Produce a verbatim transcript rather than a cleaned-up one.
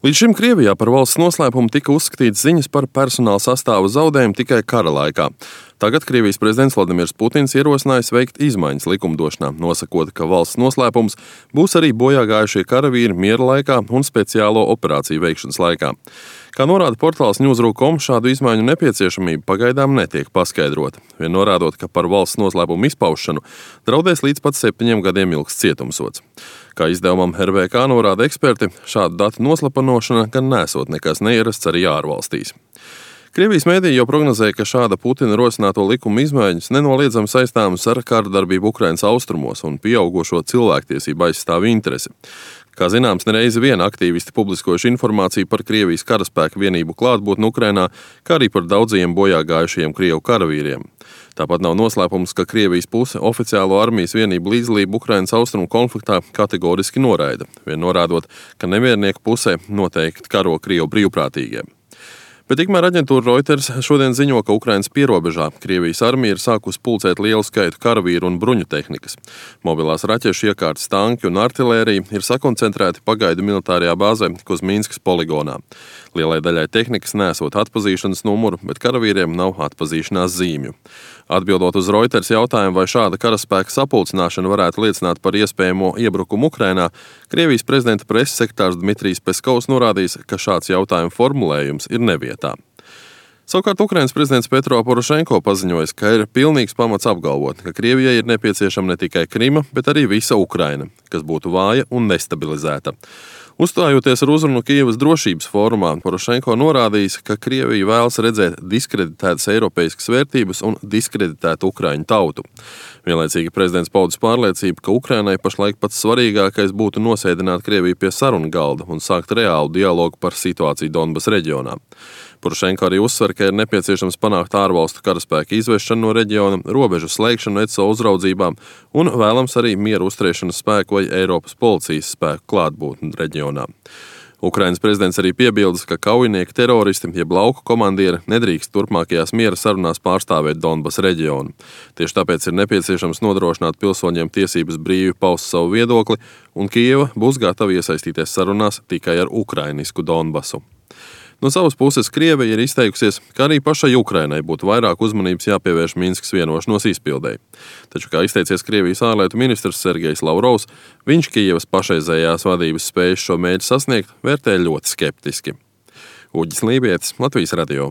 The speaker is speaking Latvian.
Līdz šim Krievijā par valsts noslēpumu tika uzskatīts ziņas par personāla sastāva zaudējumu tikai kara laikā. Tagad Krievijas prezidents Vladimirs Putins ierosinājis veikt izmaiņas likumdošanā, nosakot, ka valsts noslēpums būs arī bojā gājušie karavīri miera laikā un speciālo operāciju veikšanas laikā. Kā norāda portāls News dot com, šādu izmaiņu nepieciešamība pagaidām netiek paskaidrota, vien norādot, ka par valsts noslēpumu izpaušanu draudēs līdz pat septiņiem gadiem ilgs cietumsods. Kā izdevumam R V K norāda eksperti, šādu datu noslapanošana gan nesot nekas neierasts arī ārvalstīs. Krievijas mēdīji jau prognozēja, ka šāda Putina rosināto likuma izmaiņas nenoliedzami saistāmas ar kārdarbību Ukrainas austrumos un pieaugušo cilvēktiesību aizstāvju interesi. Kā zināms, nereizi vien aktīvisti publiskojuši informāciju par Krievijas karaspēka vienību klātbūtni Ukrainā, kā arī par daudzajiem bojā gājušajiem Krievu karavīriem. Tāpat nav noslēpums, ka Krievijas puse oficiālo armijas vienību līdzdalību Ukrainas austrumu konfliktā kategoriski noraida, vien norādot, ka nemiernieku pusē noteikti karo Krievu brīvprātīgie. Bet tikmēr aģentūra Reuters šodien ziņo, ka Ukrainas pierobežā Krievijas armija ir sākusi pulcēt lielu skaitu karavīru un bruņu tehnikas. Mobilās raķešu iekārtas, tanki un artilērija ir sakoncentrēti pagaidu militārajā bāzē Kuzmīnskas poligonā. Lielai daļai tehnikas nesot atpazīšanas numuru, bet karavīriem nav atpazīšanās zīmju. Atbildot uz Reuters jautājumu, vai šāda karaspēka sapulcināšana varētu liecināt par iespējamo iebrukumu Ukrainā, Krievijas prezidenta preses sekretārs Dmitrijs Peskovs norādījis, ka šāds jautājumu formulējums ir nevietā. Savukārt Ukrainas prezidents Petro Porošenko paziņojis, ka ir pilnīgs pamats apgalvot, ka Krievijai ir nepieciešama ne tikai Krima, bet arī visa Ukraina, kas būtu vāja un nestabilizēta. Uzstājoties ar uzrunu Kijevas drošības fórumā, Porošenko norādījis, ka Krievija vēlas redzēt diskreditētas eiropeiskas vērtības un diskreditētu Ukraiņu tautu. Vienlaicīgi prezidents paudis pārliecību, ka Ukrainai pašlaik pats svarīgākais būtu nosēdināt Krieviju pie sarunu galda un sākt reālu dialogu par situāciju Donbas reģionā. Porošenko arī uzsver, ka ir nepieciešams panākt ārvalstu karaspēka izvešanu no reģiona, robežu slēgšanu E C O uzraudzībā un vēlams arī mieru uzturēšanas spēku vai Eiropas policijas spēku klātbūtni reģionā. Ukrainas prezidents arī piebildes, ka kaujinieki teroristi, jeb lauku komandieri, nedrīkst turpmākajās miera sarunās pārstāvēt Donbas reģionu. Tieši tāpēc ir nepieciešams nodrošināt pilsoņiem tiesības brīvi paust savu viedokli, un Kijeva būs gatava iesaistīties sarunās tikai ar ukrainisku Donbasu. No savas puses Krievija ir izteikusies, ka arī pašai Ukrainai būtu vairāk uzmanības jāpievērš Minskas vienošanos izpildēji. Taču, kā izteicies Krievijas ārlietu ministrs Sergejs Lavrovs, viņš Kijevas pašreizējās vadības spējas šo mērķi sasniegt vērtē ļoti skeptiski. Uģis Lībietis, Latvijas radio.